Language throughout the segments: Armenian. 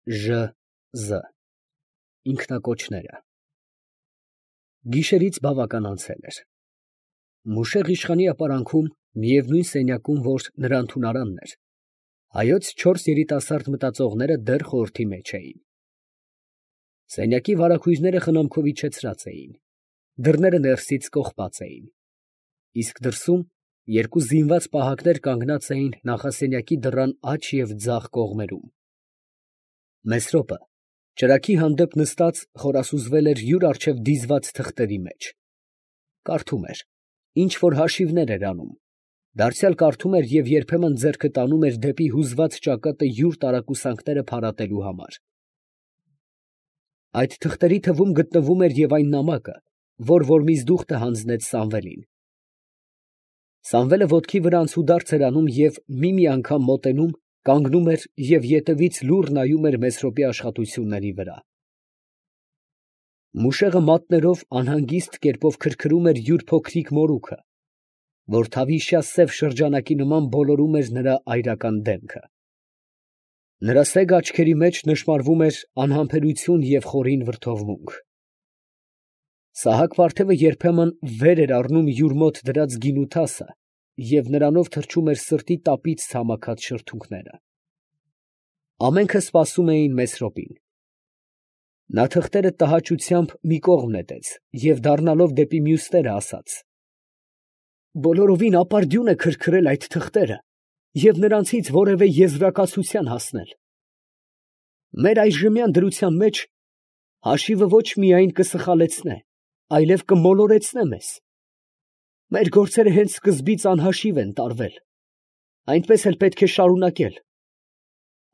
Զ. Ինքնակոչները։ Գիշերից բավական անցել էր։ Մուշեղ իշխանի ապարանքում, միևնույն սենյակում, որ նրա ընդունարանն էր, հայոց 4 երիտասարդ մտածողները դեռ խորհրդի մեջ էին։ Սենյակի վարագույրները խնամքով իջեցրած էին, դռները ներսից կողպած էին, իսկ դրսում երկու զինված պահակներ կանգնած էին նախասենյակի դռան աջ և ձախ կողմերում։ Մեսրոպը ճրագի հանդեպ նստած խորասուզվել էր յուր առջև դիզված թղթերի մեջ, կարդում էր, ինչ որ հաշիվներ էր անում, դարձյալ կարդում էր և երբեմն ձեռքը տանում էր դեպի հուզված ճակատը յուր տարակուսանքները փարատելու համար։ Այդ թղթերի թվում գտնվում էր և այն նամակը, որ միզդուխտը հանձնեց Սամվելին։ Սամվելը ոտքի վրա անցուդարձ էր անում և մի անգամ մոտենում, կանգնում էր և ետևից լուռ նայում էր Մեսրոպի աշխատությունների վրա։ Մուշեղը մատներով անհանգիստ կերպով քրքրում էր յուր փոքրիկ մորուքը, որ թավիշյա սև շրջանակի նման բոլորում էր նրա այրական դեմքը։ Նրա սեգ աչքերի մեջ նշմարվում էր անհամբերություն և խորին վրդովմունք։ Սահակ֊վարդևը երբեմն վեր էր առնում յուր մոտ դրած գինու թասը և նրանով թրջում էր սրտի տապից ցամաքած շրթունքները։ Ամենքը սպասում էին Մեսրոպին։ Նա թղթերը տհաճությամբ մի կողմ նետեց և դառնալով դեպի մյուսները ասաց. «Բոլորովին ապարդյուն է քրքրել այդ թղթերը և նրանցից որևէ եզրակացության հասնել։ Մեր այժմյան դրության մեջ հաշիվը ոչ միայն կսխալեցնե, այլև կմոլորեցնե մեզ։ Մեր գործերը հենց սկզբից անհաշիվ են տարվել, այնպես էլ պետք է շարունակել։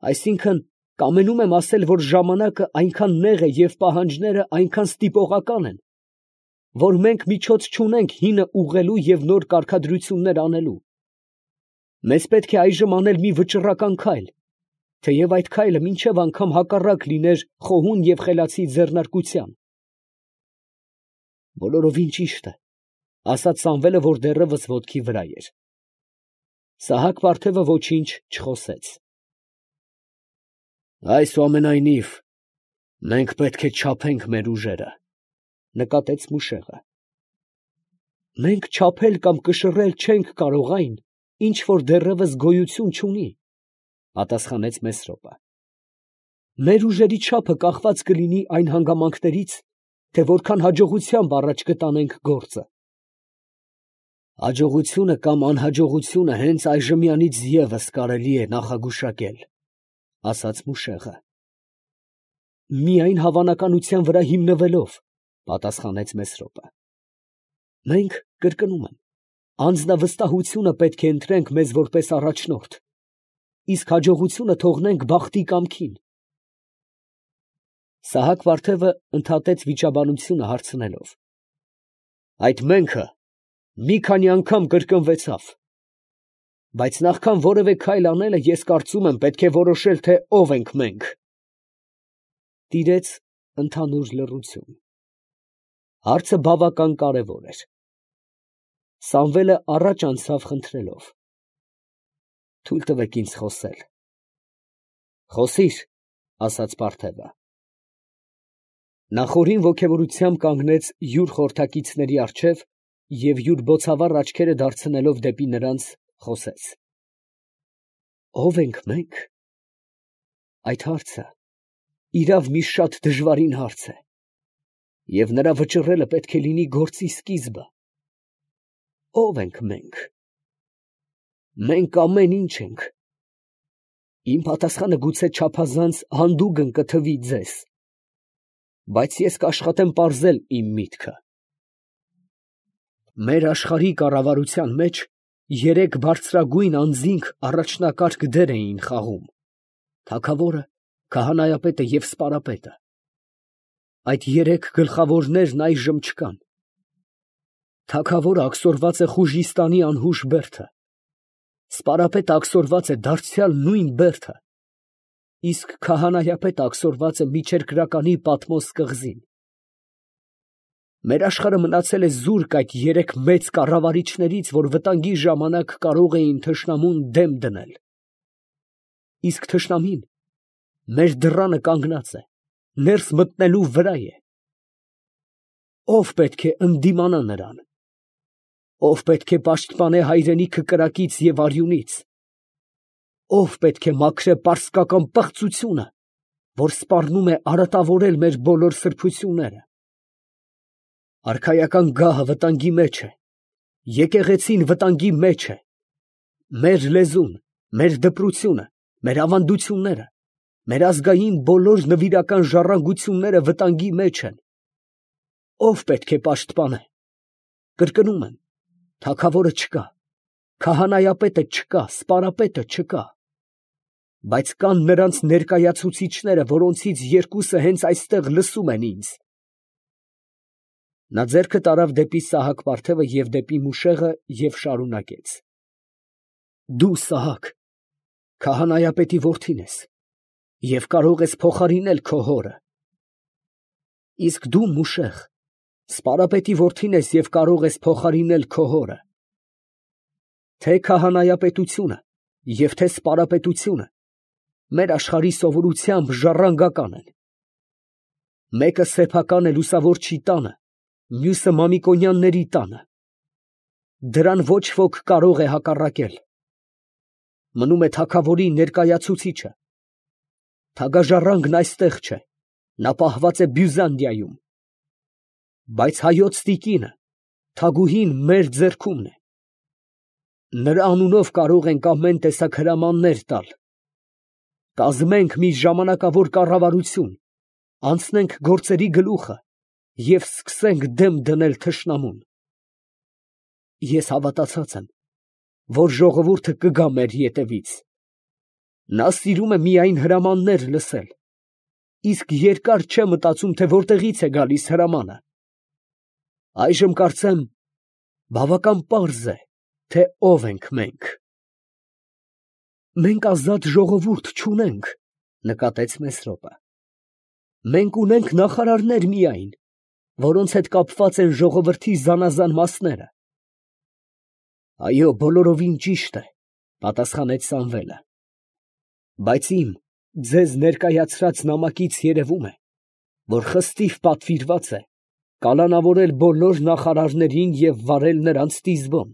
Այսինքն, կամենում եմ ասել, որ ժամանակը այնքան նեղ է և պահանջները այնքան ստիպողական են, որ մենք միջոց չունենք հինը ուղղելու և նոր կարգադրություններ անելու։ Մեզ պետք է այժմ անել մի վճռական քայլ, թեև այդ քայլը մինչև անգամ հակառակ լիներ խոհուն և խելացի ձեռնարկության»։ «Բոլորովին ճիշտ է», ֊ ասաց Սամվելը, որ դեռևս ոտքի վրա էր։ Սահակ֊վարդևը ոչինչ չխոսեց։ «Այսուամենայնիվ, մենք պետք է չափենք մեր ուժերը, ֊ նկատեց մուշեղը։ Մենք չափել կամ կշռել չենք կարող այն, ինչ որ դեռևս գոյություն չունի, ֊ պատասխանեց Մեսրոպը։ Մեր ուժերի չափը կախված կլինի այն հանգամանքներից, թե որքան հաջողությամբ առաջ կտանենք գործը։ Հաջողությունը կամ անհաջողությունը հենց այժմյանից ևս կարելի է նախագուշակել, ֊ ասաց մուշեղը։ Միայն հավանականության վրա հիմնվելով, ֊ պատասխանեց Մեսրոպը։ Մենք, կրկնում եմ, անձնավստահությունը պետք է ընտրենք մեզ որպես առաջնորդ, իսկ հաջողությունը թողնենք բախտի կամքին։ Սահակ֊վարդևը ընդհատեց վիճաբանությունը հարցնելով. Այդ «մենք»-ը մի քանի անգամ կրկնվեցավ, բայց նախքան որևէ քայլ անելը, ես կարծում եմ, պետք է որոշել, թե ով ենք մենք։ Տիրեց ընդհանուր լռություն։ Հարցը բավական կարևոր էր։ Սամվելը առաջ անցավ խնդրելով. «Թույլ տվեք ինձ խոսել»։ «Խոսիր», ֊ ասաց պարթևը։ Նա խորին ոգևորությամբ կանգնեց յուր խորհրդակիցների առջև և յուր բոցավառ աչքերը դարձնելով դեպի նրանց, խոսեց. «Ո՞վ ենք մենք» այդ հարցը իրավ մի շատ դժվարին հարց է, և նրա վճռելը պետք է լինի գործի սկիզբը։ Ո՞վ ենք մենք։ Մենք ամեն ինչ ենք։ Իմ պատասխանը գուցե չափազանց հանդուգն կթվի ձեզ, բայց ես կաշխատեմ պարզել իմ միտքը։ Մեր աշխարհի կառավարության մեջ երեք բարձրագույն անձինք առաջնակարգ դեր էին խաղում. թագավորը, քահանայապետը և սպարապետը։ Այդ երեք գլխավորներն այժմ չկան։ Թագավորը աքսորված է Խուժիստանի անհուշ բերդը, սպարապետը աքսորված է դարձյալ նույն բերդը, իսկ քահանայապետը աքսորված է Միջերկրականի Պատմոս կղզին։ Մեր աշխարհը մնացել է զուրկ այդ երեք մեծ կառավարիչներից, որ վտանգի ժամանակ կարող էին թշնամուն դեմ դնել։ Իսկ թշնամին Մեր դռանը կանգնած է, ներս մտնելու վրա է։ Ո՞վ պետք է ընդդիմանա նրան։ Ո՞վ պետք է պաշտպանե հայրենիքը կրակից և արյունից։ Ո՞վ պետք է մաքրե պարսկական պղծությունը, որ սպառնում է արատավորել մեր բոլոր սրբությունները։ Արքայական գահը վտանգի մեջ է, եկեղեցին վտանգի մեջ է, մեր լեզուն, մեր դպրությունը, մեր ավանդությունները, մեր ազգային բոլոր նվիրական ժառանգությունները վտանգի մեջ են։ Ո՞վ պետք է պաշտպանե։ Կրկնում եմ, թագավորը չկա, քահանայապետը չկա, սպարապետը չկա, բայց կան նրանց ներկայացուցիչները, որոնցից երկուսը հենց այստեղ լսում են ինձ։ Նա ձեռքը տարավ դեպի Սահակ պարթևը և դեպի Մուշեղը և շարունակեց. Դու, Սահակ, քահանայապետի որդին ես և կարող ես փոխարինել քո հորը։ Իսկ դու, Մուշեղ, սպարապետի որդին ես և կարող ես փոխարինել քո հորը։ Թե քահանայապետությունը և թե սպարապետությունը մեր աշխարհի սովորությամբ ժառանգական են։ Մեկը սեփական է լուսավորչի տանը, մյուսը Մամիկոնյանների տանը։ Դրան ոչ ոք կարող է հակառակել։ Մնում է թագավորի ներկայացուցիչը։ Թագաժառանգն այստեղ չէ, նա պահված է Բյուզանդիայում։ Բայց հայոց տիկինը, թագուհին մեր ձեռքումն է։ Նրա անունով կարող ենք ամեն տեսակ հրամաններ տալ։ Կազմենք մի ժամանակավոր կառավարություն, անցնենք գործերի գլուխը և սկսենք դեմ դնել թշնամուն։ Ես հավատացած եմ, որ ժողովուրդը կգա մեր ետևից։ Նա սիրում է միայն հրամաններ լսել, իսկ երկար չէ մտածում, թե որտեղից է գալիս հրամանը։ Այժմ կարծեմ, բավական պարզ է, թե ով ենք մենք։ Մենք ազատ ժողովուրդ չունենք, նկատեց Մեսրոպը։ Մենք ունենք նախարարներ միայն, որոնց հետ կապված են ժողովրդի զանազան մասները։ Այո, բոլորովին ճիշտ է, պատասխանեց Սամվելը։ Բայց ձեզ ներկայացրած նամակից երևում է, որ խստիվ պատվիրված է կալանավորել բոլոր նախարարներին և վարել նրանց տիզբոն,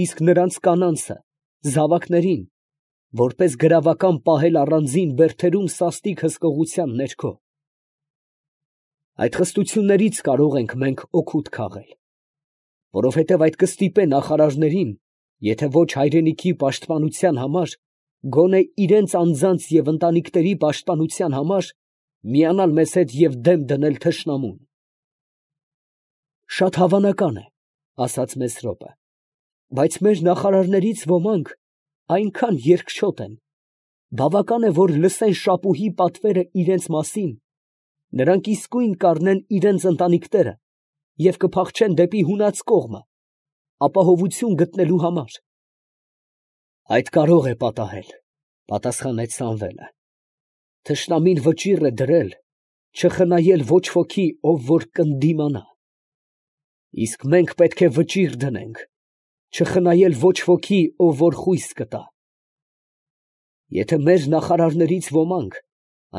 իսկ նրանց կանանցը, զավակներին, որպես գրավական պահել առանձին բերդերում սաստիկ հսկողության ներքո։ Այդ խստություններից կարող ենք մենք օգուտ քաղել, որովհետև այդ կստիպե նախարարներին, եթե ոչ հայրենիքի պաշտպանության համար, գոնե իրենց անձանց և ընտանիքների պաշտպանության համար, միանալ մեզ հետ և դեմ դնել թշնամուն։ Շատ հավանական է, ասաց Մեսրոպը, բայց մեր նախարարներից ոմանք այնքան երկչոտ են, բավական է, որ լսեն շապուհի պատվերը իրենց մասին, նրանք իսկույն կառնեն իրենց ընտանիքները և կփախչեն դեպի հունած կողմը, ապահովություն գտնելու համար։ Այդ կարող է պատահել, պատասխանեց Սամվելը։ Թշնամին վճիռ է դրել չխնայել ոչ ոքի, ով որ կընդդիմանա։ Իսկ մենք պետք է վճիռ դնենք չխնայել ոչ ոքի, ով որ խույս կտա։ Եթե մեր նախարարներից ոմանք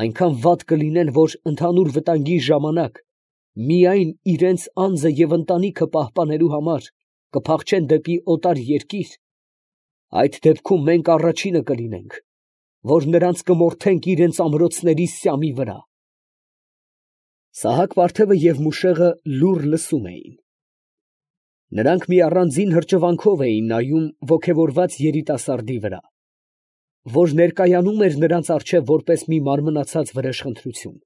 այնքան վատ կլինեն, որ ընդհանուր վտանգի ժամանակ միայն իրենց անձը և ընտանիքը պահպանելու համար կփախչեն դեպի օտար երկիր, այդ դեպքում մենք առաջինը կլինենք, որ նրանց կմորթենք իրենց ամրոցների սյամի վրա։ Սահակ պարթևը և Մուշեղը լուռ լսում էին։ Նրանք մի առանձին հրճվանքով էին նայում ոգևորված երիտասարդի վրա, որ ներկայանում էր նրանց առջև որպես մի մարմնացած վրեժխնդրություն։